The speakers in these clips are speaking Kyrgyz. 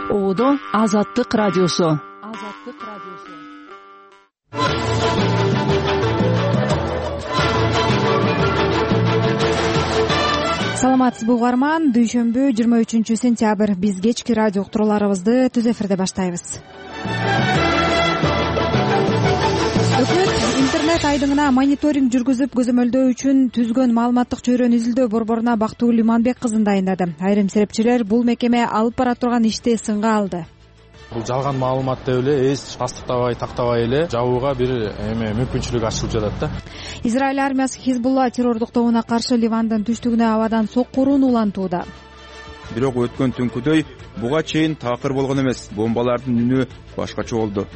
Оодо Азаттык радиосу. Саламатсызбы угарман, дүйшөмбү 23-сентябрь биз кечки радио уктурууларыбызды түз эфирде баштайбыз. Өкмөт интернет айдыңына мониторинг жүргүзүп көзөмөлдөө үчүн түзгөн маалыматтык чөйрөнү изилдөө борборуна Бактуу Лиманбек кызын дайындады. Айрым серепчилер бул мекеме алып бара турган ишти сынга алды. Бул жалган маалымат деп эле эч тастыктабай, тактабай эле жабууга бир мүмкүнчүлүк ачылып жатат да. Израиль армиясы Хизбулла террордук тобуна каршы Ливандын түштүгүнө абадан соккуруун улантууда. Бирок өткөн түнкүдөй буга чейин такыр болгон эмес. Бомбалардын үнү башкача болду.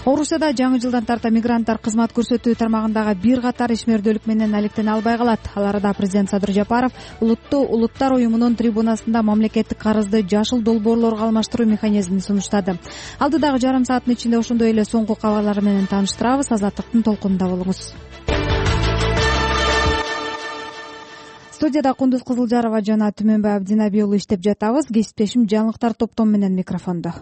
Орусияда жаңы жылдан тарта мигранттар кызмат көрсөтүү тармагындагы бир катар ишмердүүлүк менен алектене албай калат. Аларда президент Садыр Жапаров Улуттар уюмунун трибунасында мамлекеттик карызды жашыл долбоорлорго алмаштыруу механизмин сунуштады. Алдыдагы жарым сааттын ичинде ошондой эле соңку кабарлар менен тааныштырабыз. Азаттыктын толкунунда болуңуз. Студияда Кундуз Кызылжарова жана Түмөнбай Абдинаби уулу иштеп жатабыз. Кесиптешим жаңылыктар топтом менен микрофондо.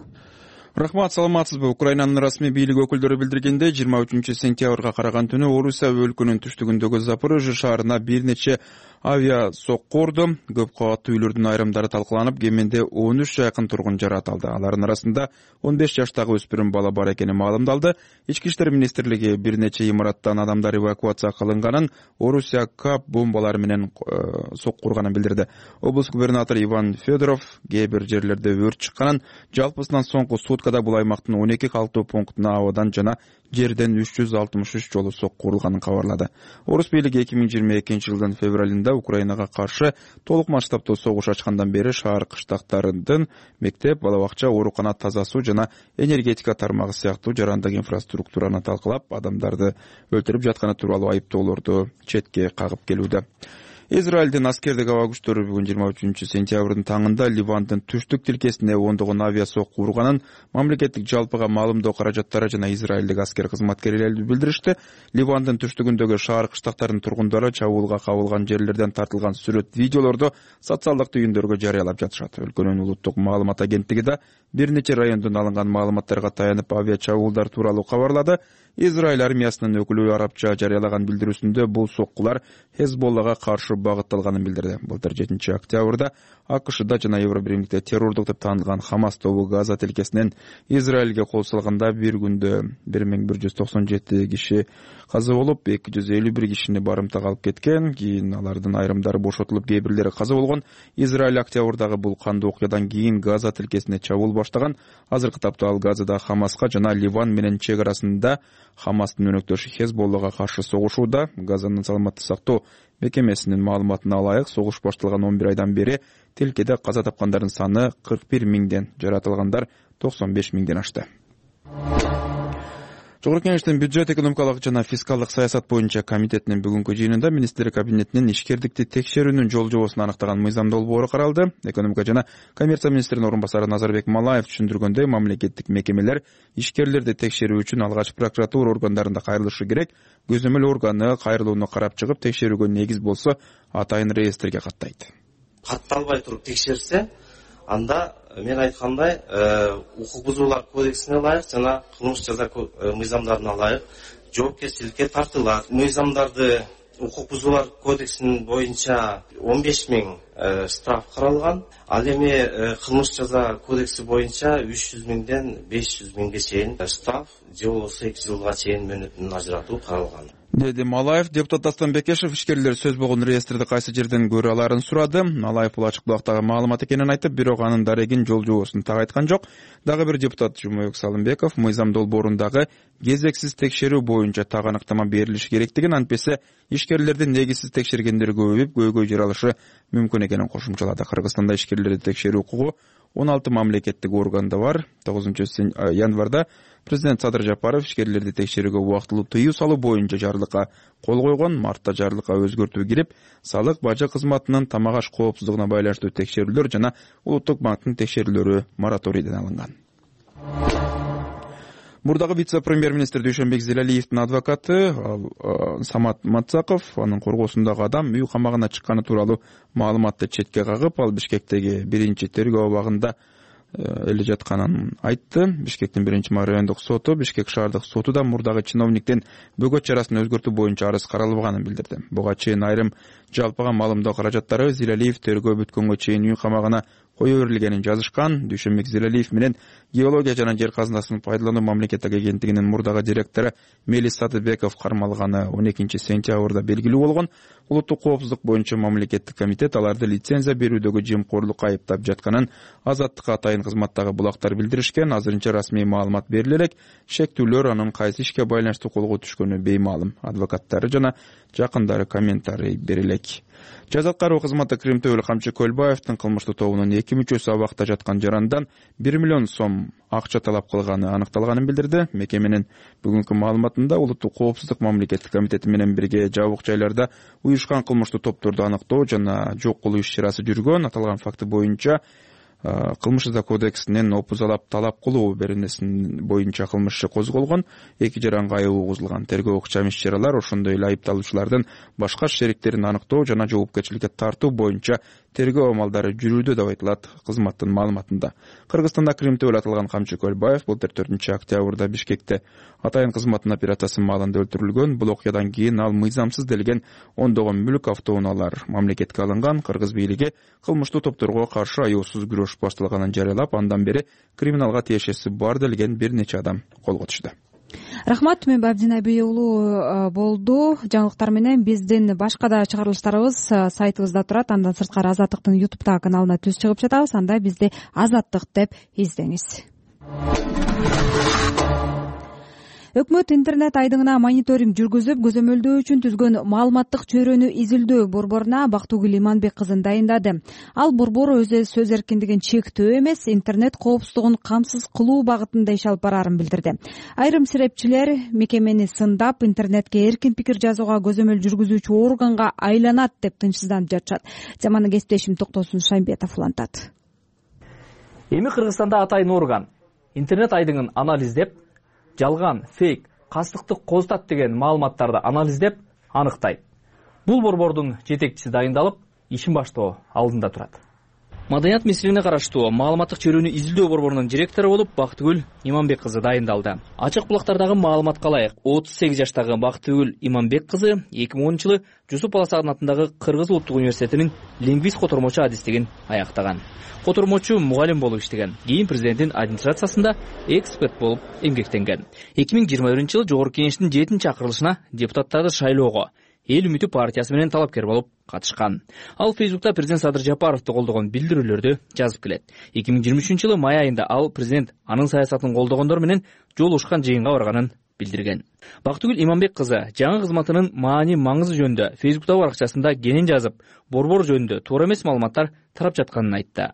Рахмат, саламатсызбы? Украинанын расмий бийлик өкүлдөрү билдиргендей, 23-сентябрга караган түнү Орусия өлкөнүн түштүгүндөгү Запорожье шаарына бир нече авиа сокку урду. Көп кабаттуу үйлөрдүн айрымдары талкаланып, кеминде 13 жакын тургун жаратылды. Алардын арасында 15 жаштагы өспүрүм бала бар экени маалымдалды. Ички иштер министрлиги бир нече имараттан адамдар эвакуация кылынганын, Орусия КАП бомбалары менен сокку урганын билдирди. Облус губернатору Иван Федоров кээ бир жерлерде өрт чыкканын, жалпысынан соңку суткада бул аймактын 12 калктуу пунктуна абадан жана жерден 363 жолу сокку урулганын кабарлады. Орус бийлиги 2022 жылдын февралында Украинага каршы толук масштабтуу согуш ачкандан бери шаар кыштактарынын мектеп, бала бакча, оорукана, таза суу жана энергетика тармагы сыяктуу жарандык инфраструктураны талкалап, адамдарды өлтүрүп жатканы тууралуу айыптоолорду четке кагып келүүдө. Израилдин аскердик аба күчтөрү бүгүн 23-сентябрдын таңында Ливандын түштүк тилкесине ондогон авиа сокку урганын мамлекеттик жалпыга маалымдоо каражаттары жана израилдик аскер кызматкерлери билдиришти. Ливандын түштүгүндөгү шаар кыштактарынын тургундары чабуулга кабылган жерлерден тартылган сүрөт, видеолорду социалдык түйүндөргө жарыялап жатышат. Өлкөнүн улуттук маалымат агенттиги да бир нече райондон алынган маалыматтарга таянып авиа чабуулдар тууралуу кабарлады. Израиль армиясынын өкүлү арабча жарыялаган билдирүүсүндө бул соккулар Хезболлага каршы багытталганын билдирди. Былтыр 7 октябрда АКШда жана Евробиримдикте террордук деп таанылган Хамас тобу Газа тилкесинен Израилге кол салганда бир күндө 1197 киши каза болуп, 251 кишини барымтага алып кеткен. Кийин алардын айрымдары бошотулуп, кээ бирлери каза болгон. Израиль октябрдагы бул кандуу окуядан кийин Газа тилкесине чабуул баштаган. Азыркы тапта ал Газада Хамаска жана Ливан менен чек арасында Хамастын өнөктөшү Хезболлага каршы согушууда. Газанын саламаттык сактоо мекемесинин маалыматына ылайык, согуш башталган 11 айдан бери тилкеде каза тапкандардын саны 41 миңден, жаратылгандар 95 миңден ашты. Жогорку Кеңештин бюджет, экономикалык жана фискалдык саясат боюнча комитетинин бүгүнкү жыйынында министрлер кабинетинин ишкердикти текшерүүнүн жол жобосун аныктаган мыйзам долбоору каралды. Экономика жана коммерция министринин орун басары Назарбек Малаев түшүндүргөндөй, мамлекеттик мекемелер ишкерлерди текшерүү үчүн алгач прокуратура органдарында кайрылышы керек. Көзөмөл органы кайрылууну карап чыгып, текшерүүгө негиз болсо атайын реестрге каттайт. Катталбай туруп текшерсе, анда мен айткандай укук бузуулар кодексине ылайык жана кылмыш жаза мыйзамдарына ылайык жоопкерчиликке тартылат. Мыйзамдарды укук бузуулар кодексинин боюнча 15 миң штраф каралган. Ал эми кылмыш жаза кодекси боюнча 300 миңден 500 миңге чейин штраф же болбосо 2 жылга чейин мөөнөтүн ажыратуу каралган. Деди Малаев. Депутат Дастан Бекешев ишкерлер сөз болгон реестрди кайсы жерден көрө аларын сурады. Малаев бул ачык булактагы маалымат экенин айтып, бирок анын дарегин, жол жобосун так айткан жок. Дагы бир депутат Жумабек Салымбеков мыйзам долбоорундагы кезексиз текшерүү боюнча так аныктама берилиши керектигин, антпесе ишкерлердин негизсиз текшергендери көбөйүп, көйгөй жаралышы мүмкүн экенин кошумчалады. Кыргызстанда ишкерлерди текшерүү укугу 16 мамлекеттик органда бар. 9 январда президент Садыр Жапаров ишкерлерди текшерүүгө убактылуу тыюу салуу боюнча жарлыкка кол койгон. Мартта жарлыкка өзгөртүү кирип, салык, бажы кызматынын тамак аш коопсуздугуна байланыштуу текшерүүлөр жана Улуттук банктын текшерүүлөрү мораторийден алынган. Мурдагы вице-премьер-министр Дүйшөнбек Зелалиевдин адвокаты Самат Мацаков анын коргоосундагы адам үй камагына чыкканы тууралуу маалыматты четке кагып, ал Бишкектеги биринчи тергөө абагында эле жатканын айтты. Бишкектин 1-мара райондук соту Бишкек шаардык соту да мурдагы чиновниктин бөгөт чарасын өзгөртүү боюнча арыз каралбаганын билдирди. Буга чейин айрым жалпыга маалымдоо каражаттары Зилалиев тергөө бүткөнгө чейин үй камагына кое берилгенин жазышкан. Дүйшөнбек Зилалиев менен геология жана жер казынасын пайдалануу мамлекеттик агенттигинин мурдагы директору Мелис Сатыбеков кармалганы 12-сентябрда белгилүү болгон. Улуттук коопсуздук боюнча мамлекеттик комитет аларды лицензия берүүдөгү жемкорлукка айыптап жатканын Азаттыкка атайын кызматтагы булактар билдиришкен. Азырынча расмий маалымат бериле элек, шектүүлөр анын кайсы ишке байланыштуу колго түшкөнү беймаалым. Адвокаттары жана жакындары комментарий бере элек. Жаза аткаруу кызматы Крим Төбөл Камчы Көлбаевдин кылмыштуу тобунун 2 мүчөсү абакта жаткан жарандан 1 миллион сом акча талап кылганы аныкталганын билдирди. Мекеменин бүгүнкү маалыматында Улуттук коопсуздук мамлекеттик комитети менен бирге жабык жайларда уюшкан кылмыштуу топторду аныктоо жана жок кылуу иш-чарасы жүргөн. Аталган факты боюнча Кылмыш иши кодексинин опузалап талап кылуу беренесин боюнча кылмыш иши козголгон. 2 жаранга айып угузулган. Тергөө ыкчам иш-чаралар ошондой эле айыпталуучулардын башка шериктерин аныктоо жана жоопкерчиликке тартуу боюнча тергөө амалдары жүрүүдө деп айтылат кызматтын маалыматында. Кыргызстанда Крим Төбөл аталган Камчы Көлбаев былтыр 4-октябрда Бишкекте атайын кызматтын операциясы маалында өлтүрүлгөн. Бул окуядан кийин ал мыйзамсыз делген ондогон мүлк автоунаалар мамлекетке алынган. Кыргыз бийлиги кылмыштуу топторго каршы аяосуз күрөш башталганын жарыялап, андан бери криминалга тиешеси бар делген бир нече адам колго түштү. Рахмат, мен Абдина Бей уулу болду. Жаңылыктар менен биздин башка да чыгарылыштарыбыз сайтыбызда турат. Андан сырткары Азаттыктын YouTube каналына түз чыгып жатабыз. Анда бизди Азаттык деп издеңиз. Өкмөт интернет айдыңына мониторинг жүргүзүп, көзөмөлдөө үчүн түзгөн маалыматтык чөйрөнү изилдөө борборуна Бактыгүл Иманбек кызын дайындады. Ал борбор өз сөз эркиндигин чектөө эмес, интернет коопсуздугун камсыз кылуу багытында иш алып барарын билдирди. Айрым серепчилер мекемени сындап, интернетке эркин пикир жазууга көзөмөл жүргүзүүчү органга айланат деп тынчсызданып жатышат. Заманы кесиптешим Токтосун Шаймбетов улантат. Эми Кыргызстанда атайын орган интернет айдыңын анализдеп, жалган, фейк, кастыктык козутат деген маалыматтарды анализдеп, анықтайды. Бул борбордун жетекчиси дайындалып, ишин баштоо алдында турат. Маданият министрлигине караштуу маалыматтык чөйрөнү изилдөө борборунун директору болуп Бактыгүл Иманбек кызы дайындалды. Ачык булактардагы маалыматка ылайык 38 жаштагы Бактыгүл Иманбек кызы 2010-жылы Жусуп Баласагын атындагы Кыргыз улуттук университетинин лингвист котормочу адистигин аяктаган. Котормочу мугалим болуп иштеген. Кийин президенттин администрациясында эксперт болуп эмгектенген. 2021-жылы Жогорку Кеңештин 7-чакырылышына депутаттарды шайлоого Эл үмүтү партиясы менен талапкер болуп катышкан. Ал Фейсбукта президент Садыр Жапаровду колдогон билдирүүлөрдү жазып келет. 2023-жылы май айында ал президент анын саясатын колдогондор менен жолугушкан жыйынга барганын билдирген. Бактыгүл Иманбек кызы жаңы кызматынын маани-маңызы жөнүндө Фейсбуктагы баракчасында кенен жазып, борбор жөнүндө туура эмес маалыматтар тарап жатканын айтты.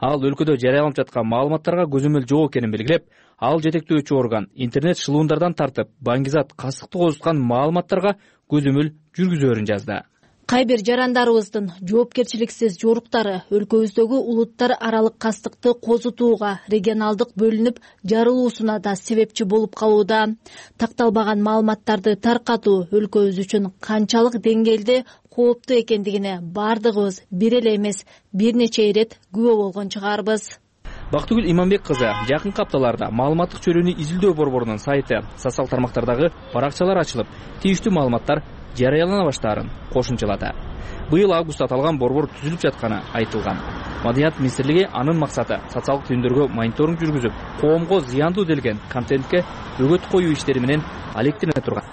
Ал өлкөдө жарыяланып жаткан маалыматтарга көзөмөл жок экенин белгилеп, ал жетектөөчү орган интернет шылуундардан тартып, баңгизат, кастыкты козуткан маалыматтарга көзөмөл жүргүзөөрүн жазды. Кайбир жарандарыбыздын жоопкерчиликсиз жоруктары өлкөбүздөгү улуттар аралык кастыкты козутууга регионалдык бөлүнүп жарылуусуна да себепчи болуп калууда. Такталбаган маалыматтарды таркатуу өлкөбүз үчүн канчалык деңгээлде кооптуу экендигине бардыгыбыз бир эле эмес, бир нече ирет күбө болгон чыгарбыз. Бактыгүл Иманбек кызы жакынкы апталарда маалыматтык чөйрөнү изилдөө борборунун сайты, социалдык тармактардагы баракчалар ачылып, тийиштүү маалыматтар жарыялана баштаарын кошумчалады. Быйыл августта аталган борбор түзүлүп жатканы айтылган. Маданият министрлиги анын максаты социалдык түйүндөргө мониторинг жүргүзүп, коомго зыяндуу делген контентке бөгөт коюу иштери менен алектене турган.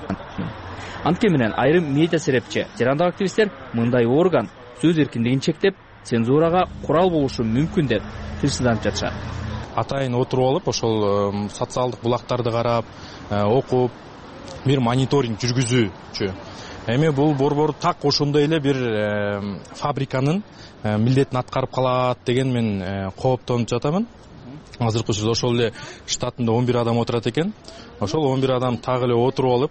Анткени менен айрым медиа серепчи, жарандык активисттер мындай орган сөз эркиндигин чектеп, цензурага курал болушу мүмкүн деп тынчсызданып жатышат. Атайын отуруп алып, ошол социалдык булактарды карап, окуп, бир мониторинг жүргүзүүчү. Эми бул борбор так ошондой эле бир фабриканын милдетин аткарып калат деген мен кооптонуп жатамын. Азыркы учурда ошол эле штатында 11 адам отурат экен. Ошол 11 адам так эле отуруп алып,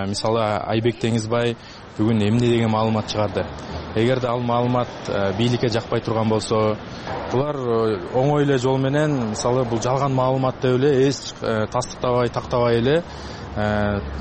мисалы Айбек Теңизбай бүгүн эмне деген маалымат чыгарды. Эгерде ал маалымат бийликке жакпай турган болсо, булар оңой эле жол менен, мисалы бул жалган маалымат деп эле эч тастыктабай, тактабай эле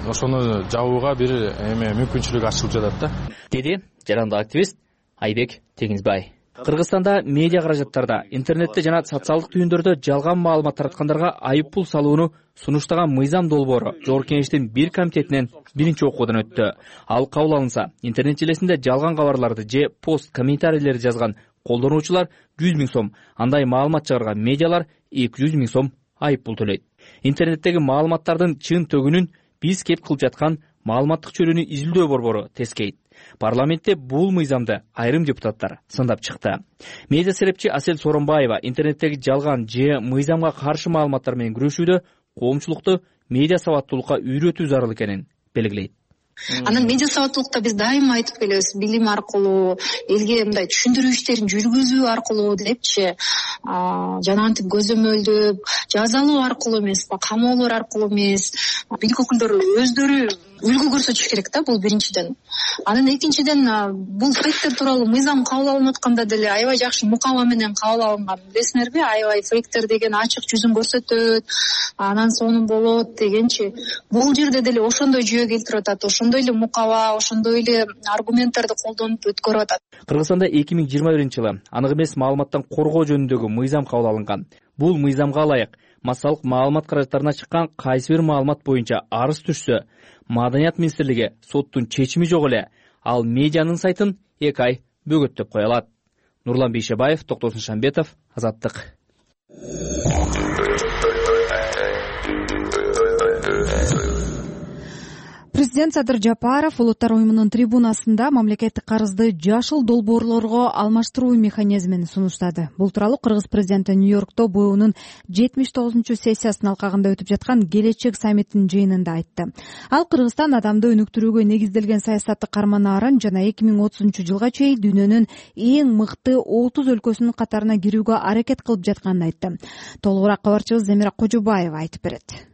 ошону жабууга бир мүмкүнчүлүк ачылып жатат да. Деди жарандык активист Айбек Теңизбай. Кыргызстанда медиа каражаттарда, интернетте жана социалдык түйүндөрдө жалган маалымат тараткандарга айып пул салууну сунуштаган мыйзам долбоору Жогорку Кеңештин бир комитетинен биринчи окуудан өттү. Ал кабыл алынса, интернет желесинде жалган кабарларды же пост комментарийлерди жазган колдонуучулар 100 000 сом, андай маалымат чыгарган медиалар 200 000 сом айып пул төлөйт. Интернеттеги маалыматтардын чын төгүнүн биз кеп кылып жаткан маалыматтык чөлүүнү изилдөө борбору тескейт. Парламентте бул мыйзамды айрым депутаттар сындап чыкты. Медиа серепчи Асель Соронбаева интернеттеги жалган же мыйзамга каршы маалыматтар менен күрөшүүдө коомчулукту медиа сабаттуулукка үйрөтүү зарыл экенин белгилейт. Анан медиа сабаттуулукта биз дайыма айтып келебиз, билим аркылуу, элге мындай түшүндүрүү иштерин жүргүзүү аркылуу депчи, жана антип көзөмөлдөп, жазалоо аркылуу эмес, камоолор аркылуу эмес, бийлик өкүлдөрү өздөрү үлгү көрсөтүш керек да, бул биринчиден. Анан экинчиден бул фейктер тууралуу мыйзам кабыл алынып атканда деле аябай жакшы мукаба менен кабыл алынган. Билесиңерби, аябай фейктер деген ачык жүзүн көрсөтөт, анан сонун болот дегенчи. Бул жерде деле ошондой жүйө келтирип атат, ошондой эле мукаба, ошондой эле аргументтерди колдонуп өткөрүп атат. Кыргызстанда 2021-жылы анык эмес маалыматтан коргоо жөнүндөгү мыйзам кабыл алынган. Бул мыйзамга ылайык массалык маалымат каражаттарына чыккан кайсы бир маалымат боюнча арыз түшсө, Маданият министрлиги соттун чечими жок эле ал медианын сайтын 2 ай бөгөттөп кое алат. Нурлан Бейшебаев, Токтосун Шамбетов, Азаттык. Президент Садыр Жапаров Улуттар уюмунун трибунасында мамлекеттик карызды жашыл долбоорлорго алмаштыруу механизмин сунуштады. Бул тууралуу Кыргыз президенти Нью-Йоркто БУнун 79-сессиясынын алкагында өтүп жаткан Келечек саммитинин жыйынында айтты. Ал Кыргызстан адамды өнүктүрүүгө негизделген саясатты карманаарын жана 2030-жылга чейин дүйнөнүн эң мыкты 30 өлкөсүнүн катарына кирүүгө аракет кылып жатканын айтты. Толугураак кабарчыбыз Замира Кожобаева айтып берет.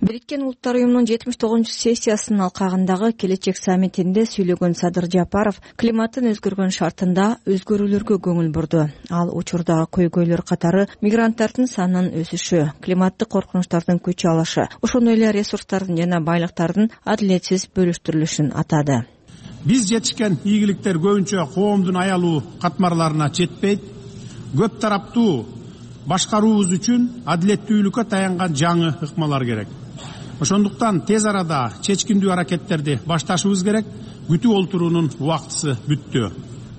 Бириккен Улуттар уюмунун 79-сессиясынын алкагындагы Келечек саммитинде сүйлөгөн Садыр Жапаров климаттын өзгөргөн шартында өзгөрүүлөргө көңүл бурду. Ал учурдагы көйгөйлөр катары мигранттардын санынын өсүшү, климаттык коркунучтардын күч алышы, ошондой эле ресурстардын жана байлыктардын адилетсиз бөлүштүрүлүшүн атады. Биз жетишкен ийгиликтер көбүнчө коомдун аялуу катмарларына жетпейт. Көп тараптуу башкаруубуз үчүн адилеттүүлүккө таянган жаңы ыкмалар керек. Ошондуктан тез арада чечкиндүү аракеттерди башташыбыз керек. Күтүп олтуруунун убактысы бүттү.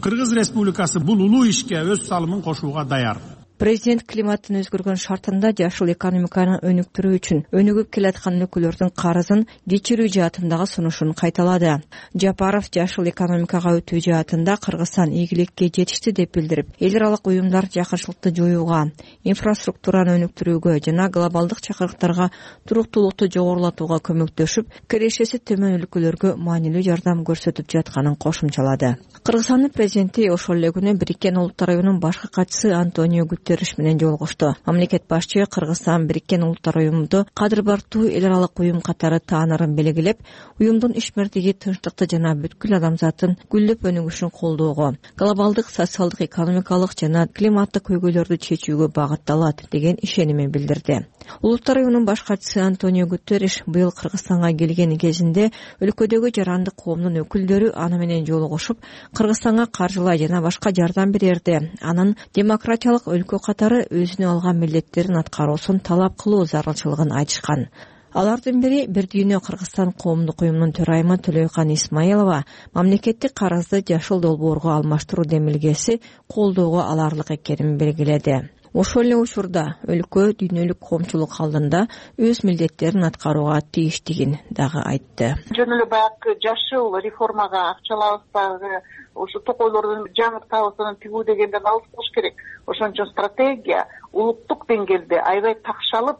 Кыргыз Республикасы бул улуу ишке өз салымын кошууга даяр. Президент климаттын өзгөргөн шартында жашыл экономиканы өнүктүрүү үчүн өнүгүп келаткан өлкөлөрдүн карызын кечирүү жаатындагы сунушун кайталады. Жапаров жашыл экономикага өтүү жаатында Кыргызстан ийгиликке жетишти деп билдирип, эл аралык уюмдар жакырчылыкты жоюуга, инфраструктураны өнүктүрүүгө жана глобалдык чакырыктарга туруктуулукту жогорулатууга көмөктөшүп, кирешеси төмөн өлкөлөргө маанилүү жардам көрсөтүп жатканын кошумчалады. Кыргызстандын президенти ошол эле күнү Бириккен Улуттар уюмунун башкы катчысы Антонио Гутерриш менен жолугушту. Мамлекет башчы Кыргызстан Бириккен Улуттар уюмунду кадыр бартуу эл аралык уюм катары таанырын белгилеп, уюмдун ишмердиги тынчтыкты жана бүткүл адамзаттын гүлдөп өнүгүшүн колдоого, глобалдык социалдык, экономикалык жана климаттык көйгөйлөрдү чечүүгө багытталат деген ишенимин билдирди. Улуттар уюмунун баш катчысы Антонио Гутерриш быйыл Кыргызстанга келген кезинде өлкөдөгү жарандык коомдун өкүлдөрү аны менен жолугушуп, Кыргызстанга каржылай жана башка жардам берерди. Анын демократиялык өлкө катары өзүнө алган милдеттерин аткаруусун талап кылуу зарылчылыгын айтышкан. Алардын бири Бир дүйнө Кыргызстан коомдук уюмунун төрайымы Төлөйкан Исмаилова мамлекеттик карызды жашыл долбоорго алмаштыруу демилгеси колдоого аларлык экенин белгиледи. Ошол эле учурда өлкө дүйнөлүк коомчулук алдында өз милдеттерин аткарууга тийиштигин дагы айтты. Жөн эле баягы жашыл реформага акчалабызбагы ошо токойлордун жаңыртабызын тигүү дегенден алыс болуш керек. Ошон үчүн стратегия улуттук деңгээлде аябай такшалып,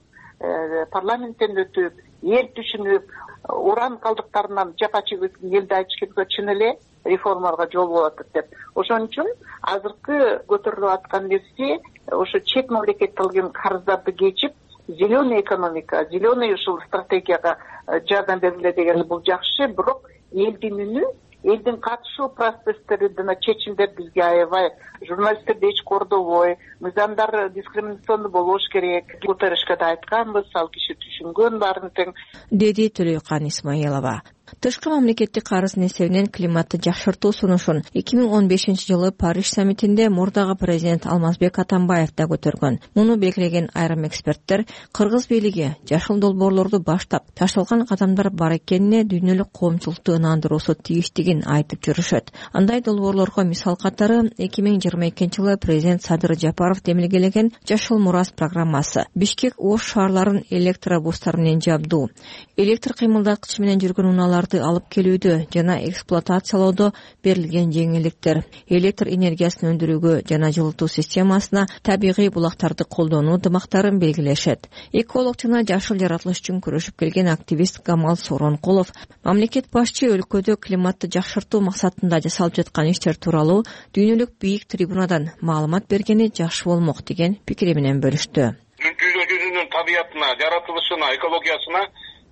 парламенттен өтүп, эл түшүнүп, уран калдыктарынан жапа чегип элди айтыш керек, чын эле реформаларга жол болот деп. Ошон үчүн азыркы көтөрүлүп аткан нерсе ошо чет мамлекеттен алган карыздарды кечип, зеленый экономика, зеленый ушул стратегияга жардам бергиле деген бул жакшы, бирок элдин үнү, элдин катышуу процесстери жана чечимдер бизге аябай, журналисттерди эч кордобой, мыйзамдар дискриминациондуу болбош керек. Гутерришке да айтканбыз, ал киши түшүнгөн баарын тең, деди Төлөйкан Исмаилова. Тышкы мамлекеттик карыздын эсебинен климатты жакшыртуу сунушун 2015-жылы Париж саммитинде мурдагы президент Алмазбек Атамбаев да көтөргөн. Муну белгилеген айрым эксперттер кыргыз бийлиги жашыл долбоорлорду баштап ташталган кадамдар бар экенине дүйнөлүк коомчулукту ынандыруусу тийиштигин айтып жүрүшөт. Андай долбоорлорго мисал катары 2022-жылы президент Садыр Жапаров демилгелеген жашыл мурас программасы, Бишкек Ош шаарларын электробустар менен жабдуу, электр кыймылдаткыч менен жүргөн унааларды алып келүүдө жана эксплуатациялоодо берилген жеңилдиктер, электр энергиясын өндүрүүгө жана жылытуу системасына табигый булактарды колдонуу дымактарын белгилешет. Эколог жана жашыл жаратылыш үчүн күрөшүп келген активист Камал Соронкулов мамлекет башчы өлкөдө климатты жакшыртуу максатында жасалып жаткан иштер тууралуу дүйнөлүк бийик трибунадан маалымат бергени жакшы болмок деген пикири менен бөлүштү. Жүзүнүн табиятына, жаратылышына, экологиясына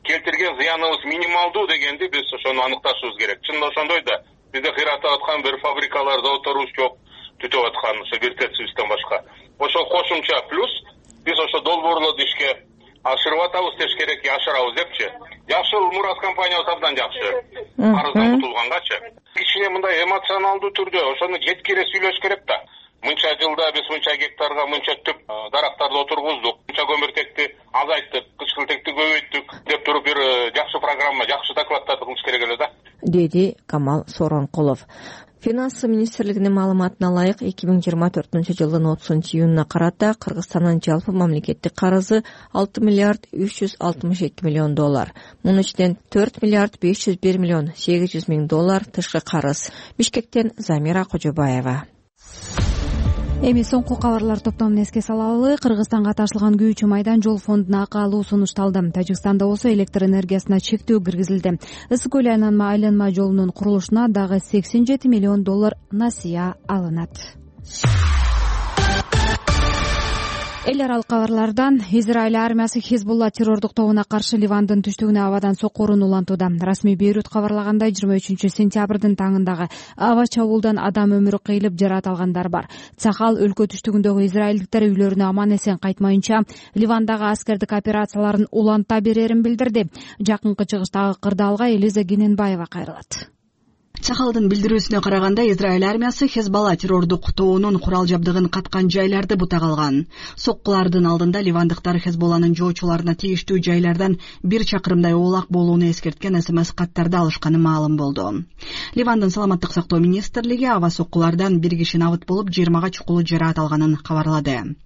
келтирген зыяныбыз минималдуу дегенди биз ошону аныкташыбыз керек. Чын ошондой да бизде кыйратып аткан бир фабрикалар, заводторубуз жок, түтүп аткан ошо бир тецибизден башка. Ошол кошумча плюс биз ошо долбоорлорду ишке ашырып атабыз деш керек, ашырабыз депчи. Жашыл мурас компаниясы абдан жакшы. Карыздан кутулгангачы. Кичине мындай эмоционалдуу түрдө ошону жеткире сүйлөш керек да. Мынча жылда биз мынча гектарга мынча түп дарактарды отургуздук, мынча көмүртекти азайттык, кычкылтекти көбөйттүк деп туруп бир жакшы программа, жакшы докладдарды кылыш керек эле да, деди Камал Соронкулов. Финансы министрлигинин маалыматына ылайык 2024-жылдын 30-июнуна карата Кыргызстандын жалпы мамлекеттик карызы 6 миллиард 362 миллион доллар. Мунун ичинен 4 миллиард 501 миллион 800 миң доллар тышкы карыз. Бишкектен Замира Кожобаева. Эми соңку кабарлар топтомун эске салалы. Кыргызстанга ташылган күйүүчү майдан жол фондуна акы алуу сунушталды. Тажикстанда болсо электр энергиясына чектөө киргизилди. Ысык көл айланма жолунун курулушуна дагы 87 миллион доллар насыя алынат. Эл аралык кабарлардан Израиль армиясы Хезбулла террордук тобуна каршы Ливандын түштүгүнө абадан соккурун улантууда. Расмий Бейрут кабарлагандай 23-сентябрдын таңындагы аба чабуулдан адам өмүрү кыйылып, жараат алгандар бар. Цахал өлкө түштүгүндөгү израилдиктер үйлөрүнө аман эсен кайтмайынча Ливандагы аскердик операцияларын уланта берерин билдирди. Жакынкы чыгыштагы кырдаалга Элиза Гененбаева кайрылат. Чахалдын билдирүүсүнө караганда, Израиль армиясы Хезболла террордук тобунун курал жабдыгын каткан жайларды бутак алган. Соккулардын алдында ливандыктар Хезболланын жоочуларына тийиштүү жайлардан 1 чакырымдай оолак болууну эскерткен СМС каттарды алышканы маалым болду. Ливандын саламаттык сактоо министрлиги аба соккулардан 1 киши набыт болуп, 20га чукулуу жараат алганын кабарлады.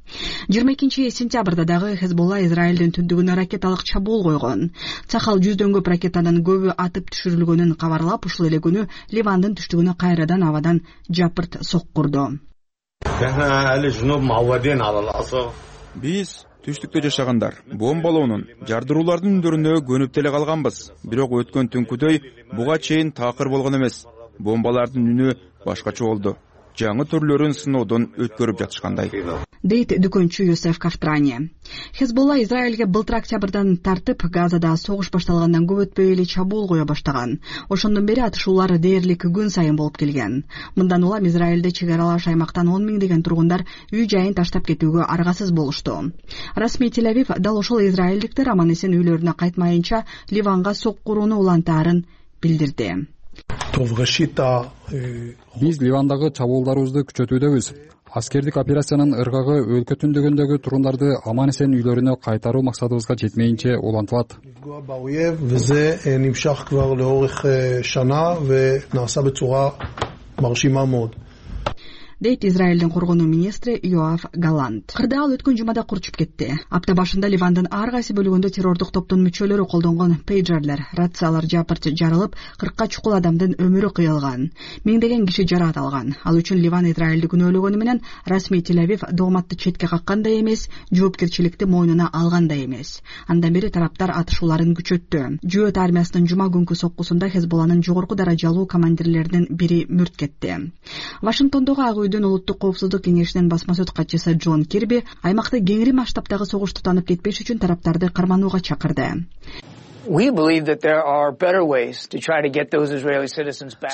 22-сентябрда дагы Хезболла Израилдин түндүгүнө ракеталык чабуул койгон. Цахал 100дөн көп ракетанын көбү атып түшүрүлгөнүн кабарлап, ушул эле күнү Ливандын түштүгүнө кайрадан абадан жапырт соккурду. Биз түштүктө жашагандар бомбалоонун, жардыруулардын үндөрүнө көнүп деле калганбыз. Бирок өткөн түнкүдөй буга чейин таакыр болгон эмес. Бомбалардын үнү башкача болду. Жаңы түрлөрүн сыноодон өткөрүп жатышкандай, дейт дүкөнчү Юсеф Кафтрани. Хезболла Израилге былтыр октябрдан тартып, Газада согуш башталгандан көп өтпөй эле чабуул кое баштаган. Ошондон бери атышуулар дээрлик күн сайын болуп келген. Мындан улам Израилде чек аралаш аймактан 10 миңдеген тургундар үй жайын таштап кетүүгө аргасыз болушту. Расмий Тель-Авив дал ошол израилдиктер аман эсен үйлөрүнө кайтмайынча Ливанга соккурууну улантаарын билдирди. Биз Ливандагы чабуулдарыбызды күчөтүүдөбүз. Аскердик операциянын ыргагы өлкө түндүгүндөгү тургундарды аман эсен үйлөрүнө кайтаруу максатыбызга жетмейинче улантылат. дейт Израилдин коргонуу министри Йоав Галант. Кырдаал өткөн жумада курчуп кетти. Апта башында Ливандын ар кайсы бөлүгүндө террордук топтун мүчөлөрү колдонгон пейджерлер, рациялар жапырт жарылып, 40ка чукул адамдын өмүрү кыйылган. Миңдеген киши жараат алган. Ал үчүн Ливан Израилди күнөөлөгөнү менен расмий Тель-Авив дооматты четке каккандай эмес, жоопкерчиликти мойнуна алгандай эмес. Андан бери тараптар атышууларын күчөттү. Жөөт армиясынын жума күнкү соккусунда Хезболланын жогорку даражалуу командирлеринин бири мүрт кетти. Вашингтондогу Ак үйдүн улуттук коопсуздук кеңешинин басма сөз катчысы Джон Кирби аймакта кеңири масштабтагы согуш тутанып кетпеш үчүн тараптарды карманууга чакырды.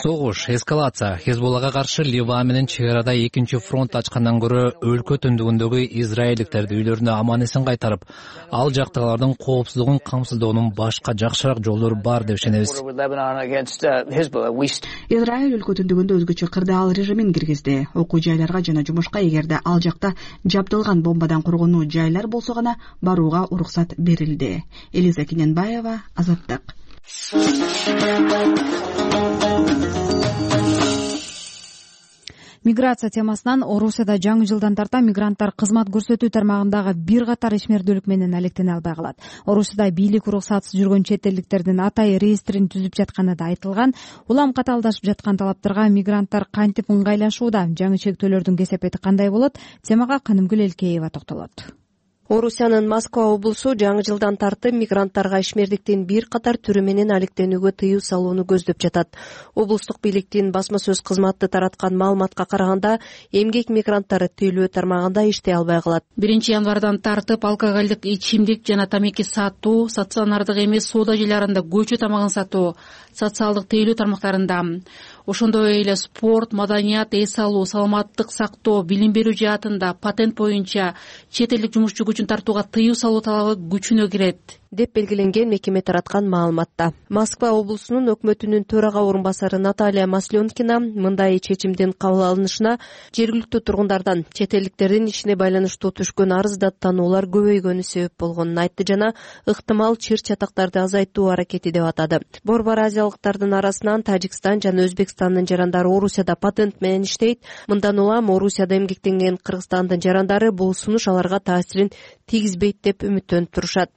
Согуш, эскалация. Хезболлага каршы Ливан менен чек арада экинчи фронт ачкандан көрө өлкө түндүгүндөгү израилдиктерди үйлөрүнө аман эсен кайтарып, ал жактагылардын коопсуздугун камсыздоонун башка жакшыраак жолдору бар деп ишенебиз. Израиль өлкө түндүгүндө өзгөчө кырдаал режимин киргизди. Окуу жайларга жана жумушка эгерде ал жакта жабдылган бомбадан коргонуу жайлар болсо гана барууга уруксат берилди. Элиза Кененбаева, Азаттык. Миграция темасынан Орусияда жаңы жылдан тарта мигранттар кызмат көрсөтүү тармагындагы бир катар ишмердүүлүк менен алектене албай калат. Орусияда бийлик уруксатсыз жүргөн чет элдиктердин атайы реестрин түзүп жатканы да айтылган. Улам катаалдашып жаткан талаптарга мигранттар кантип ыңгайлашууда? Жаңы чектөөлөрдүн кесепети кандай болот? Темага Канымгүл Элкеева токтолот. Орусиянын Москва облусу жаңы жылдан тартып мигранттарга ишмердиктин бир катар түрү менен алектенүүгө тыюу салууну көздөп жатат. Облустук бийликтин басма сөз кызматы тараткан маалыматка караганда, эмгек мигранттары тейлөө тармагында иштей албай калат. 1-январдан тартып алкоголдук ичимдик жана тамеки сатуу, стационардык эмес соода жайларында көчө тамагын сатуу, социалдык тейлөө тармактарында, ошондой эле спорт, маданият, эс алуу, саламаттык сактоо, билим берүү жаатында, патент боюнча чет элдик жумушчу күчүн тартууга тыюу салуу талабы күчүнө кирет деп белгиленген мекеме тараткан маалыматта. Москва облусунун өкмөтүнүн төрага орун басары Наталья Масленкина мындай чечимдин кабыл алынышына жергиликтүү тургундардан чет элдиктердин ишине байланыштуу түшкөн арыз даттануулар көбөйгөнү себеп болгонун айтты жана ыктымал чыр чатактарды азайтуу аракети деп атады. Борбор азиялыктардын арасынан Тажикстан жана Өзбекстандын жарандары Орусияда патент менен иштейт. Мындан улам Орусияда эмгектенген Кыргызстандын жарандары бул сунуш аларга таасирин тийгизбейт деп үмүттөнүп турушат.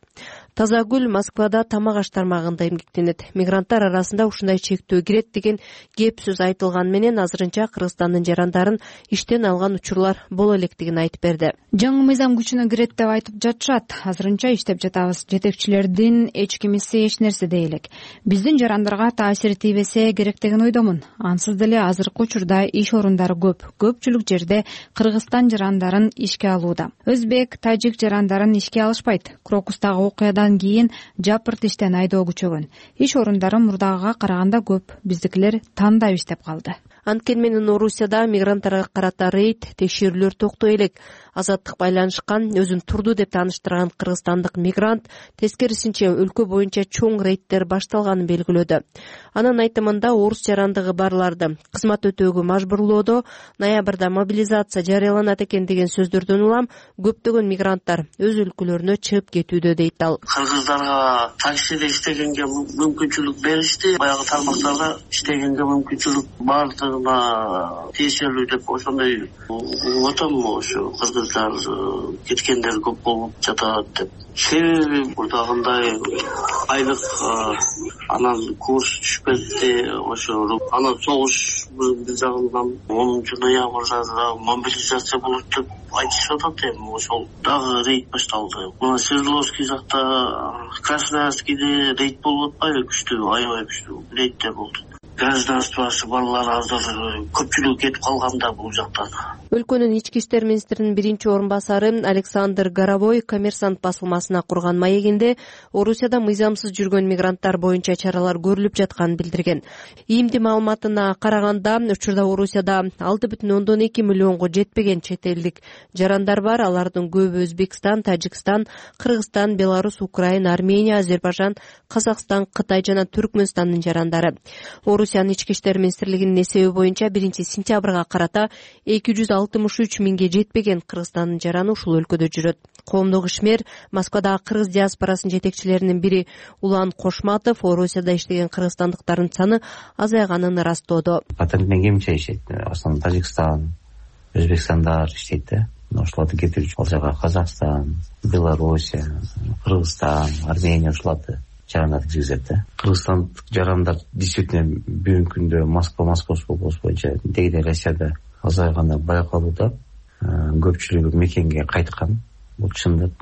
Тазагүл Москвада тамак аш тармагында эмгектенет. Мигранттар арасында ушундай чектөө кирет деген кеп сөз айтылган менен азырынча Кыргызстандын жарандарын иштен алган учурлар боло электигин айтып берди. Жаңы мыйзам күчүнө кирет деп айтып жатышат. Азырынча иштеп жатабыз. Жетекчилердин эч кимиси эч нерсе дей элек. Биздин жарандарга таасири тийбесе керек деген ойдомун. Ансыз деле азыркы учурда иш орундары көп. Көпчүлүк жерде Кыргызстан жарандарын ишке алууда. Өзбек, тажик жарандарын ишке алышпайт. Крокустагы окуядан кийин жапырт иштен айдоо күчөгөн. Иш орундары мурдагыга караганда көп. Биздикилер тандап иштеп калды. Анткени менен Орусияда мигранттарга карата рейд, текшерүүлөр токтой элек. Азаттык байланышкан, өзүн турду деп тааныштырган кыргызстандык мигрант тескерисинче өлкө боюнча чоң рейдтер башталганын белгилөөдө. Анын айтымында орус жарандыгы барларды кызмат өтөөгө мажбурлоодо ноябрда мобилизация жарыяланат экен деген сөздөрдөн улам көптөгөн мигранттар өз өлкөлөрүнө чыгып кетүүдө дейт ал. Кыргыздарга таксиде иштегенге мүмкүнчүлүк беришти, баягы тармактарга иштегенге мүмкүнчүлүк бардыгына тиешелүү деп ошондой отом ошо кыргыздар кеткендер көп болуп жатат деп. Себеби мурдагындай айлык анан курс түшүп кетти, ошо анан согуш бир жагынан 10 ноябрда мобилизация болот деп айтышып атат. Эми ошол дагы рейд башталды. Мына Свердловский жакта, Красноярскийде рейд болуп атпайбы? Күчтүү, аябай күчтүү рейдтер болду. Гражданствосы балалар азыр көпчүлүк кетип калганда бул жактан. Өлкөнүн ички иштер министринин биринчи орун басары Александр Горовой Коммерсант басылмасына курган маегинде Орусияда мыйзамсыз жүргөн мигранттар боюнча чаралар көрүлүп жатканын билдирген. ИИМдин маалыматына караганда, учурда Орусияда 6,2 миллионго жетпеген чет элдик жарандар бар. Алардын көбү Өзбекстан, Тажикстан, Кыргызстан, Беларусь, Украина, Армения, Азербайжан, Казакстан, Кытай жана Түркмөнстандын жарандары. Орусиянын ички иштер министрлигинин эсеби боюнча 1-сентябрга карата 263 миңге жетпеген Кыргызстандын жараны ушул өлкөдө жүрөт. Коомдук ишмер Москвадагы кыргыз диаспорасынын жетекчилеринин бири Улан Кошматов Орусияда иштеген кыргызстандыктардын саны азайганын ырастоодо. Патент менен кимче иштейт? Основном Тажикстан, Өзбекстандар иштейт да. Ошолорду кетирүүчү ал жака Казакстан, Белоруссия, Кыргызстан, Армения ошолорду жарандарды киргизет да. Кыргызстандык жарандар действительно бүгүнкү күндө Московский облус боюнча дегиде Россияда азайганы байкалууда. Көпчүлүгү мекенге кайткан. Бул чындык.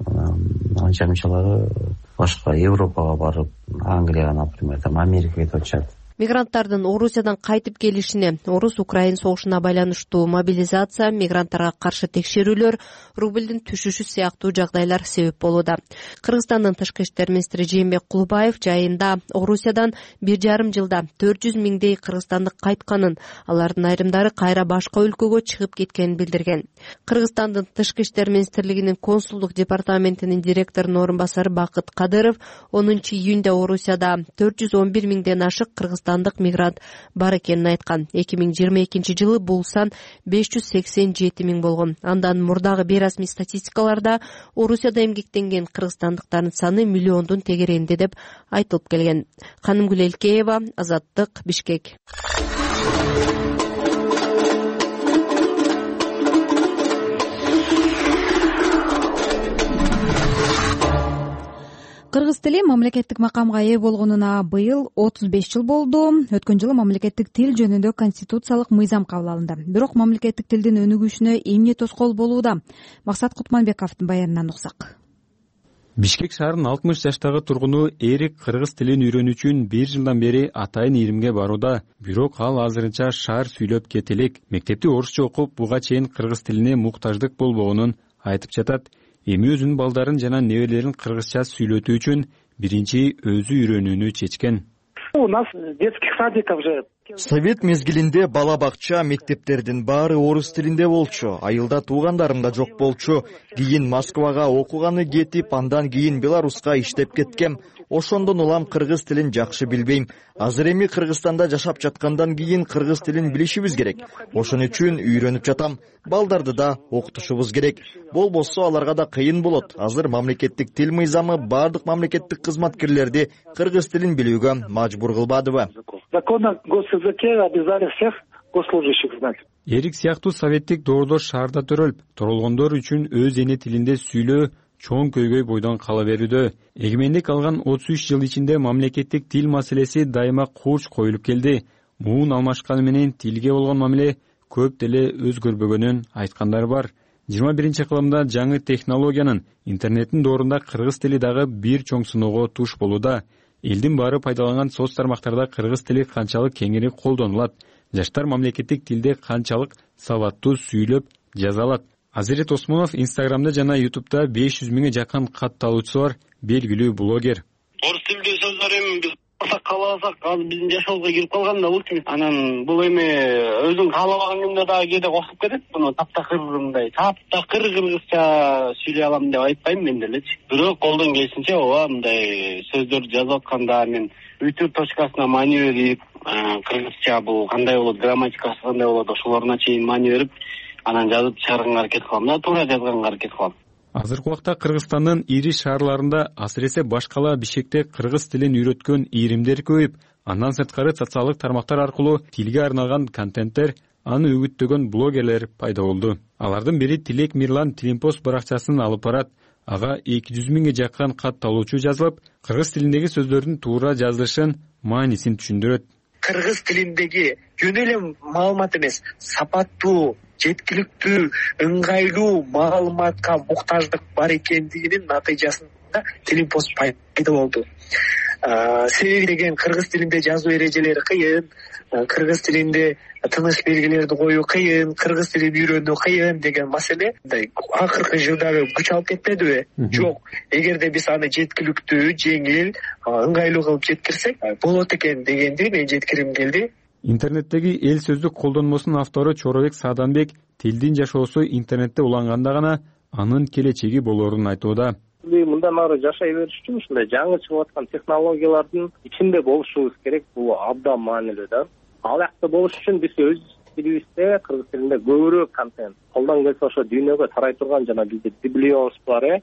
Анча-мынчалары башка Европага барып, Англияга, например, Америкага кетип атышат. Мигранттардын Орусиядан кайтып келишине, Орус-Украин согушуна байланыштуу мобилизация, мигранттарга каршы текшерүүлөр, рублдун түшүшү сыяктуу жагдайлар себеп болууда. Кыргызстандын тышкы иштер министри Жээнбек Кулубаев жайында Орусиядан 1,5 жылда 400 миңдей кыргызстандык кайтканын, алардын айрымдары кайра башка өлкөгө чыгып кеткенин билдирген. Кыргызстандын тышкы иштер министрлигинин консулдук департаментинин директорунун орун басары Бакыт Кадыров 10 июнда Орусияда 411 миңден ашык кыргызстандык мигрант бар экенин айткан. 2022 жылы бул сан 587 миң болгон. Андан мурдагы бейрасмий статистикаларда Орусияда эмгектенген кыргызстандыктардын саны миллиондун тегерегинде деп айтылып келген. Канымгүл Элкеева, Азаттык, Бишкек. Кыргыз тили мамлекеттик макамга ээ болгонуна быйыл 35 жыл болду. Өткөн жылы мамлекеттик тил жөнүндө конституциялык мыйзам кабыл алынды. Бирок мамлекеттик тилдин өнүгүшүнө эмне тоскоол болууда? Максат Кутманбековдун баянынан уксак. Бишкек шаарынын 60 жаштагы тургуну Эрик кыргыз тилин үйрөнүү үчүн 1 жылдан бери атайын ийримге барууда. Бирок ал азырынча шаар сүйлөп кете элек. Мектепти орусча окуп, буга чейин кыргыз тилине муктаждык болбогонун айтып жатат. Эми өзүнүн балдарын жана неберелерин кыргызча сүйлөтүү үчүн биринчи өзү үйрөнүүнү чечкен. У нас детских садиков же. Совет мезгилинде бала бакча, мектептердин баары орус тилинде болчу. Айылда туугандарым да жок болчу. Кийин Москвага окуганы кетип, андан кийин Беларуска иштеп кеткем. Ошондон улам кыргыз тилин жакшы билбейм. Азыр эми Кыргызстанда жашап жаткандан кийин кыргыз тилин билишибиз керек. Ошон үчүн үйрөнүп жатам. Балдарды да окутушубуз керек. Болбосо аларга да кыйын болот. Азыр мамлекеттик тил мыйзамы баардык мамлекеттик кызматкерлерди кыргыз тилин билүүгө мажбур кылбадыбы? Законы госязыке обязали всех госслужащих знать. Эрик сыяктуу советтик доордор шаарда төрөлүп, торолгондор үчүн өз эне тилинде сүйлөө чоң көйгөй бойдон кала берүүдө. Эгемендик алган 33 жыл ичинде мамлекеттик тил маселеси дайыма курч коюлуп келди. Муун алмашканы менен тилге болгон мамиле көп деле өзгөрбөгөнүн айткандар бар. 21-кылымда жаңы технологиянын, интернеттин доорунда кыргыз тили дагы бир чоң сыноого туш болууда. Элдин баары пайдаланган соц тармактарда кыргыз тили канчалык кеңири колдонулат? Жаштар мамлекеттик тилде канчалык сабаттуу сүйлөп жаза алат? Азирет Осмонов Инстаграмда жана Ютубда 500 миңге жакын катталуучусу бар белгилүү блогер. Орус тилдүү сөздөр эми биз кааласак азыр биздин жашообузга кирип калган да болчу. Анан бул эми өзүң каалабаган күндө дагы кээде кошуп кетет. Буну таптакыр кыргызча сүйлөй алам деп айтпайм мен делечи. Бирок колдон келишинче ооба мындай сөздөрдү жазып атканда мен үтүр точкасына маани берип, кыргызча бул кандай болот, грамматикасы кандай болот, ошолоруна чейин маани берип, анан жазып чыгарганга аракет кылам да, туура жазганга аракет кылам. Азыркы убакта Кыргызстандын ири шаарларында, асыресе башкала Бишкекте кыргыз тилин үйрөткөн ийримдер көбөйүп, андан сырткары социалдык тармактар аркылуу тилге арналган контенттер, аны үгүттөгөн блогерлер пайда болду. Алардын бири Тилек Мирлан Тилимпост баракчасын алып барат. Ага 200 миңге жакын катталуучу жазылып, кыргыз тилиндеги сөздөрдүн туура жазылышын, маанисин түшүндүрөт. Кыргыз тилиндеги жөн эле маалымат эмес, сапаттуу, жеткиликтүү, ыңгайлуу маалыматка муктаждык бар экендигинин натыйжасында Тилимпост пайда болду. Себеби деген кыргыз тилинде жазуу эрежелери кыйын, кыргыз тилинде тыныш белгилерди коюу кыйын, кыргыз тилин үйрөнүү кыйын деген маселе акыркы жылдары күч алып кетпедиби? Жок. Эгерде биз аны жеткиликтүү, жеңил, ыңгайлуу кылып жеткирсек, болот экен дегенди мен жеткиргим келди. Интернеттеги эл сөздүк колдонмосунун автору Чоробек Сааданбек тилдин жашоосу интернетте уланганда гана анын келечеги болоорун айтууда. Мындан ары жашай бериш үчүн ушундай жаңы чыгып аткан технологиялардын ичинде болушубуз керек. Бул абдан маанилүү да. Ал жакта болуш үчүн биз өз тилибизде, кыргыз тилинде көбүрөөк контент, колдон келсе ошо дүйнөгө тарай турган жана бизде Библионс бар,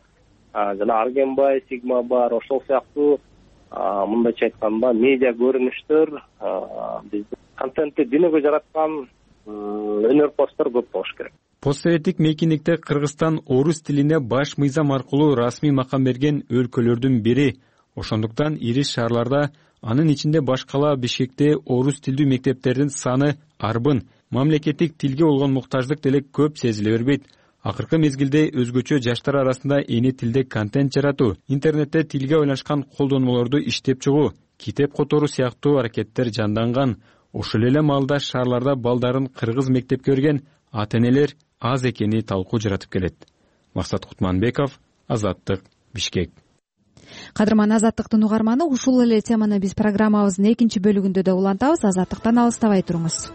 жана Аргенбай, Сигма бар, ошол сыяктуу мындайча айтканда медиа көрүнүштөр, биздин контентти дүйнөгө жараткан өнөрпоздор көп болуш керек. Постсоветтик мейкиндикте Кыргызстан орус тилине баш мыйзам аркылуу расмий макам берген өлкөлөрдүн бири. Ошондуктан ири шаарларда, анын ичинде башкала Бишкекте орус тилдүү мектептердин саны арбын. Мамлекеттик тилге болгон муктаждык деле көп сезиле бербейт. Акыркы мезгилде өзгөчө жаштар арасында эне тилде контент жаратуу, интернетте тилге байланышкан колдонмолорду иштеп чыгуу, китеп которуу сыяктуу аракеттер жанданган. Ошол эле маалда шаарларда балдарын кыргыз мектепке берген ата энелер аз экени талкуу жаратып келет. Максат Кутманбеков, Азаттык, Бишкек. Кадырман Азаттыктын угарманы, ушул эле теманы биз программабыздын экинчи бөлүгүндө да улантабыз. Азаттыктан алыстабай туруңуз.